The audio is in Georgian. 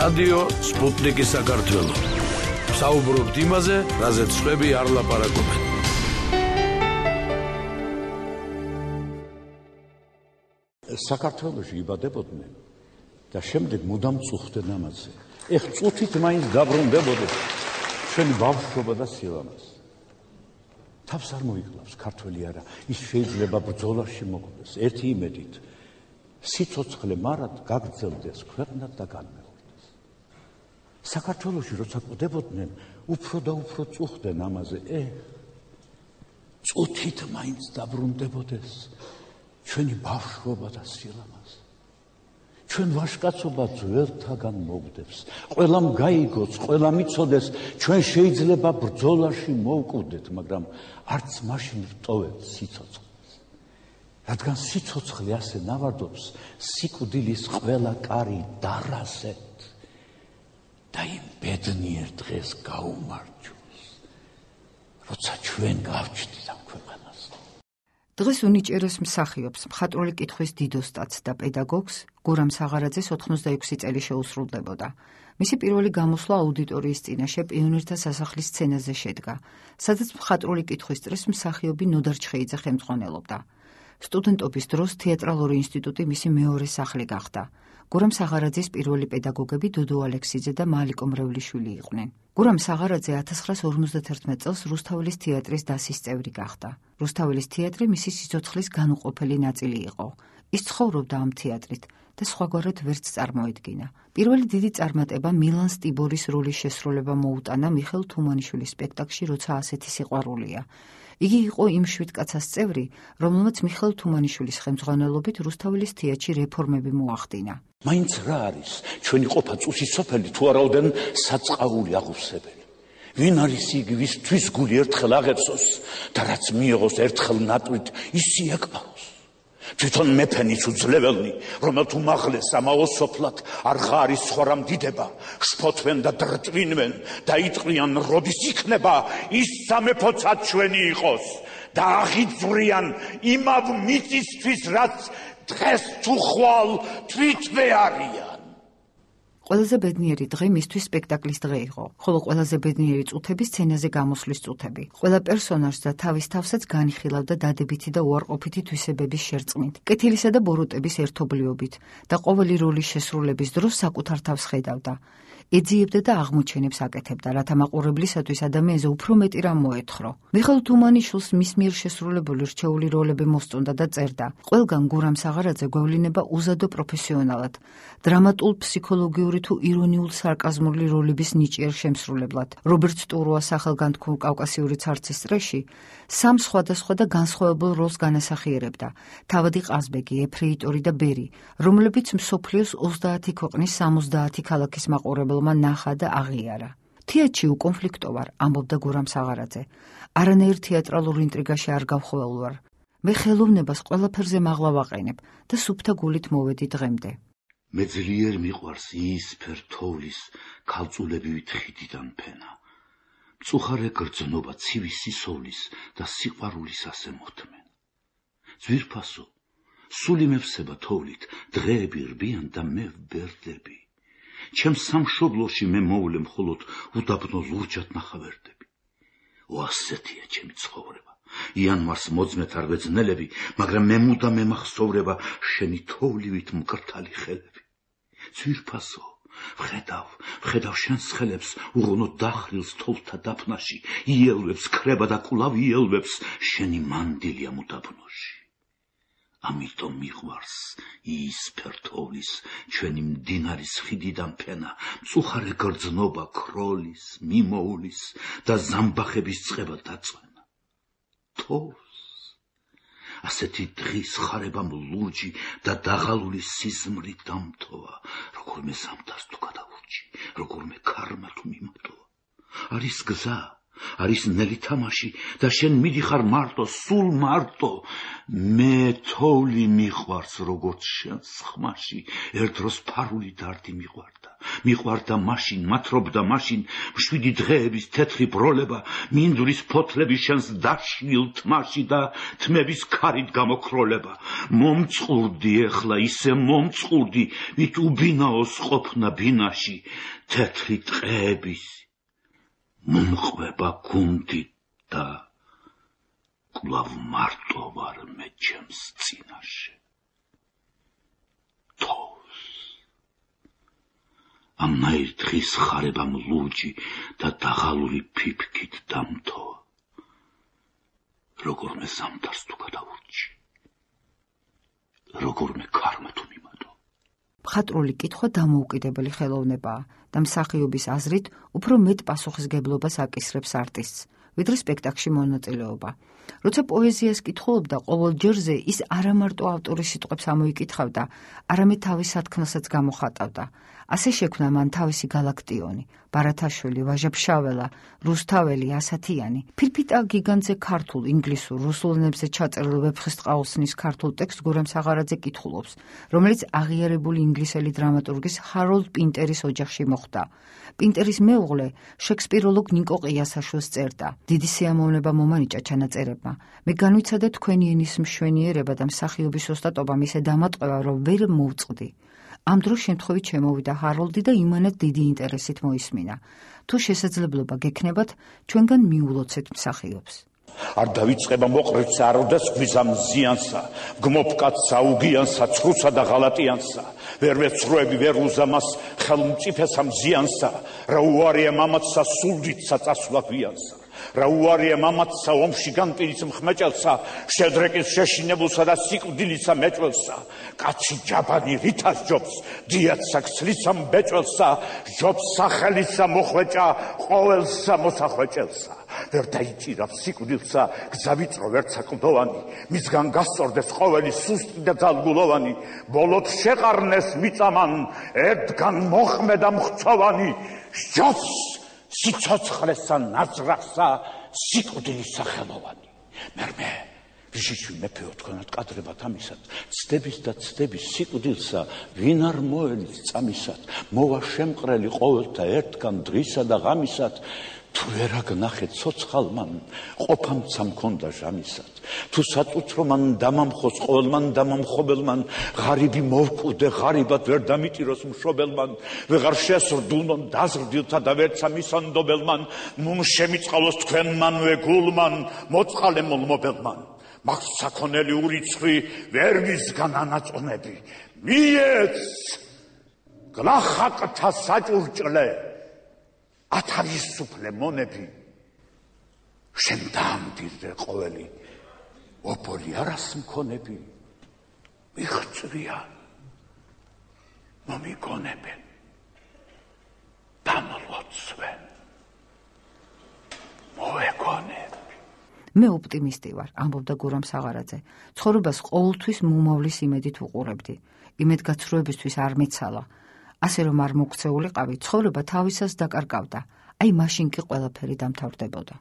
რადიო სპუტნიკი საქართველო. საუბრობთ იმაზე, რაზეც სხვები არ ლაპარაკობენ. საქართველოში იბადებოდნენ და შემდეგ მუდამ წუხდნენ ამაზე. ეხ წუთით მაინც დაბრუნდებოდნენ ჩვენი ბავშვობა და სილამაზ. თავს არ მოიკლავს ქართველი არა, ის შეიძლება ბრძოლაში მოკვდეს. ერთი იმედით სიცოცხლე მარად გაგრძელდეს ქვეყნად და განმეორდეს. საქართველოში როცა კვდებოდნენ, უფრო და უფრო წუხდნენ ამაზე. წუთით მაინც დაბრუნდებოდეს ჩვენი ბავშვობა და სილამაზ. ჩვენ ვაჟკაცობა ძველთაგან მოვდებს. ყველამ გაიგოს, ყველამ იცოდეს, ჩვენ შეიძლება ბრძოლაში მოვკვდეთ, მაგრამ არც მაშინ ვტოვებთ სიცოცხლეს. რადგან სიცოცხლე ასე ნავარდობს, სიკვდილის ყველა კარი დარასეთ და იმ ბედნიერ დღეს გაუმარჯოს, როცა ჩვენ გავჩნდით ამ ქვეყანას. დღეს უნიჭერეს მსახიობს, მხატვრული კითხვის დიდოსტატს და პედაგოგს გურამ საღარაძეს 86 წელი შეუსრულდებოდა. მისი პირველი გამოსვლა აუდიტორიის წინაშე პიონერთა სასახლის სცენაზე შედგა, სადაც მხატვრული კითხვის წრეს მსახიობი ნოდარ ჩხეიძე ხელმძღვანელობდა. სტუდენტობის დროს თეატრალური ინსტიტუტი მისი მეორე სახლი გახდა. გურამ საღარაძის პირველი პედაგოგები დოდო ალექსიძე და მალიკო მრევლიშვილი იყვნენ. გურამ საღარაძე 1951 წელს რუსთაველის თეატრის დასის წევრი გახდა. რუსთაველის თეატრი მისი სიცოცხლის განუყოფელი ნაწილი იყო. ის ცხოვრობდა ამ თეატრით და სხვაგვარად ვერც წარმოედგინა. პირველი დიდი წარმატება მილან სტიბორის როლის შესრულება მოუტანა მიხეილ თუმანიშვილის სპექტაკლში როცა ასეთი სიყვარულია. იგი იყო იმ შვიდკაცას წევრი, რომელმაც მიხეილ თუმანიშვილის ხელმძღვანელობით რუსთაველის თეატრში რეფორმები მოახდინა. მაინც რა არის ჩვენი ყოფა წუსის სოფელი თუ არაოდენ საწყაული აღუსებელი. ვინ არის იგი, ვისთვის გული ერთხელ აღებსოს და რაც მიიღოს ერთხელ ნატვით ისი ეკბაროს. თვითონ მეფენის უძლეველნი, რომელთ უმაღლეს ამაო სოფლად არღა არის სხვა რამ დიდება, შფოთვენ და დრტვინვენ და იტყვიან როდის იქნება ის სამეფოცად ჩვენი იყოს და აღიძვრიან იმავ მიწისთვის, რაც დღეს თუ ხვალ თვითვე არიან. ყველაზე ბედნიერი დღე მისთვის სპექტაკლის დღე იყო, ხოლო ყველაზე ბედნიერი წუთები სცენაზე გამოსვლის წუთები. ყველა პერსონაჟს და თავის თავსაც განიხილავდა დადებითი და უარყოფითი თვისებების შერწყმით, კეთილისა და ბოროტების ერთობლიობით და ყოველი როლის შესრულების დროს საკუთარ თავს ხედავდა. ეძიებდა და აღმოჩენებს აკეთებდა, რათა მაყურებლისათვის ადამიანზე უფრო მეტი რამ მოეთხრო. მიხეილ თუმანიშვილს მის მიერ შესრულებული რჩეული როლები მოსწონდა და წერდა. ყველგან გურამ საღარაძე გვევლინება უზადო პროფესიონალად, დრამატულ ფსიქოლოგიური თუ ირონიულ სარკაზმული როლების ნიჭიერ შემსრულებლად. რობერტ სტურუას სახელგანთქმულ კავკასიური ცარცის წრეში სამ სხვადასხვა და განსხვავებულ როლს განასახიერებდა. თავადი ყაზბეგი, ეფრეიტორი და ბერი, რომლებიც მსოფლიოს 30 ქვეყნის 70 ქალაქის მაყურებელმა ნახა და აღიარა. თეატრში უკონფლიქტო ვარ, ამბობდა გურამ საღარაძე. არანაირ თეატრალურ ინტრიგაში არ გავხველვარ. მე ხელოვნებას ყველაფერზე მაღლა ვაყენებ და სუფთა გულით მოვედი დღემდე. მე ძლიერ მიყვარს იისფერ თოვლის ქალწულებივით ხიდიდან ფენა. მწუხარე გრძნობა ცივი სისოვლის და სიყვარულის ასე მოთმენ. ძვირფასო, სული მევსება თოვლით, დღეები რბიან და მე ვბერდები. ჩემს სამშობლოში მე მოვლე მხოლოდ უდაბნო ლურჯად ნახავერდები. ასეთია ჩემი ცხოვრება. იანვარს მოძმეთ არ ვეძნელები, მაგრამ მე მუდამ მემახსოვრება შენი თოვლივით მკრთალი ხელები. ძვირფასო, ვხედავ შენს ხელებს, უღონოდ დახრილს თოვლთა დაფნაში, იელვებს ქრება და კვლავ იელვებს შენი მანდილია უდაბნოში. ამიტომ მიყვარს იისფერ თოვლის ჩვენი მდინარის ხიდიდან ფენა, მწუხარე გრძნობა ქროლის, მიმოულის და ზამბახების წყება დაწვენა. თოვს ასეთი დღის ხარებამ ლურჯი და დაღალული სიზმრი დამთოვა, როგორმე ზამთარს თუ გადაურჩი, როგორმე ქარმა თუ მიმატოვა. არის გზა, არის ნელი თამაში და შენ მიდიხარ მარტო, სულ მარტო. მე თოვლი მიყვარს როგორც შენს ხმაში, ერთ დროს ფარული დარდი მიყვარდა. მიყვარდა მაშინ, მათრობდა მაშინ, მშვიდი დღეების თეთრი ბროლება, მინდვრის ფოთლები შენს დაშნილ თმაში და თმების ქარით გამოკროლება. მომწყურდი ეხლა, ისე მომწყურდი, ვით უბინაოს ყოფნა ბინაში, თეთრი ტყეების მომყვება გუნდი და კვლავ მარტო ვარ მე ჩემს წინაშე. თოვს ამნაირ დღის ხარებამ ლურჯი და დაღალული ფიფქით დამთოა. როგორმე ზამთარს თუ გადავურჩი, როგორმე ქარმა თუ მიმატო. მხატვრული კითხვა დამოუკიდებელი ხელოვნებაა და მსახიობის აზრით უფრო მეტ პასუხისგებლობას აკისრებს არტისტს, ვიდრე სპექტაკლში მონაწილეობა. როცა პოეზიას კითხულობდა, ყოველ ჯერზე ის არა მარტო ავტორის სიტყვებს ამოიკითხავდა, არამედ თავის სათქმელსაც გამოხატავდა. ასე შექმნა მან თავისი გალაქტიონი, ბარათაშვილი, ვაჟა-ფშაველა, რუსთაველი, ასათიანი. ფირფიტა გიგანტზე ქართულ, ინგლისურ, რუსულ ენებზე ჩაწერილ ვეფხისტყაოსნის ქართულ ტექსტს გურამ საღარაძე კითხულობს, რომელიც აღიარებული ინგლისელი დრამატურგის ჰაროლდ პინტერის ოჯახში მოხდა. პინტერის მეუღლე შექსპიროლოგ ნიკო ყიასაშვილს წერდა: დიდი სიამოვნება მომანიჭა ჩანაწერებმა. მე განვიცადა თქვენი ენის მშვენიერება და მსახიობის ოსტატობა მისე დამატყვა, რომ ვერ მოვწყდი. ამ დროს შემთხვევით შემოვიდა ჰაროლდი და იმანად დიდი ინტერესით მოისმინა. თუ შესაძლებლობა გექნებათ, ჩვენგან მიულოცეთ მსახიობს. არ დავიწყება მოყრეცსა, არ ოდესგვიზამ ზიანსა, გმობკაცსა, უგიანსა, ცხრუსა და ღალატიანსა, ვერ ვეცროები, ვერ უზამას, ხელმწიფესა მზიანსა, რა უარია მამაცსა, სულდიდსა, წასვლა გვიანსა. რა უარია მამაცსა, ომში განპირიც მხმეჭელსა, შედრეკის შეშინებულსა და სიკვდილისა მეჭველსა. კაცი ჯაბანი ვითას ჯობს, დიაცსა ქსლისა მბეჭველსა, ჯობს სახელისა მოხვეჭა, ყოველსა მოსახვეჭელსა. ვერ დაიჭირავს სიკვდილსა, გზა ვიწრო ვერცა კლდოვანი, მისგან გასწორდეს ყოველი სუსტი და ძალგულოვანი, ბოლოდ შეყარნეს მიწამან, ერთგან მოხმედა მხცოვანი, სჯობს სიცოცხლესა ნაძრახსა, სიკვდილის სახელოვანი. მერმე ვიშიშვი მეფეო, თქვენად კადრებათ ამისად, ცდების და ცდების სიკვდილსა, ვინ არ მოელის წამისად, მოვა შემყრელი ყოველთა ერთგან დრისა და ღამისად, თუ ვერ აგნახეთ ცოცხალმან, ყოფამცა მქონდა ჟამისად, თუ საწუთრო მან დამამხოს ყოველმან დამამხობელმან, ღარიბი მოვკვდე ღარიბად ვერ დამიტიროს მშობელმან, ვეღარ შესრდულნონ დაზრდილთა და ვერცა მისანდობელმან, ნუ შემიწყალოს თქვენმანვე გულმან, მოწყალე მოლმობელმან. მაგ საქონელი ურიცხვი ვერ ვისგან ანაწონები, მიეც გლახაკთა საჭურჭლე, ათარისუფლე მონები, შენ დაამდირდე ყოველი, ობოლი არას მქონები, მიხწვიან, მომიგონებენ, დამლოცვენ, მოეგონებ. მე ოპტიმისტი ვარ, ამბობდა გურამ საღარაძე. ცხოვრებას ყოველთვის მომავლის იმედით უყურებდი. იმედგაცრუებისთვის არ მეცალა. ასე რომ არ მოქცეულიყავი, ცხოვრება თავისას დაკარგავდა. აი მაშინ კი ყველაფერი დამთავრდებოდა.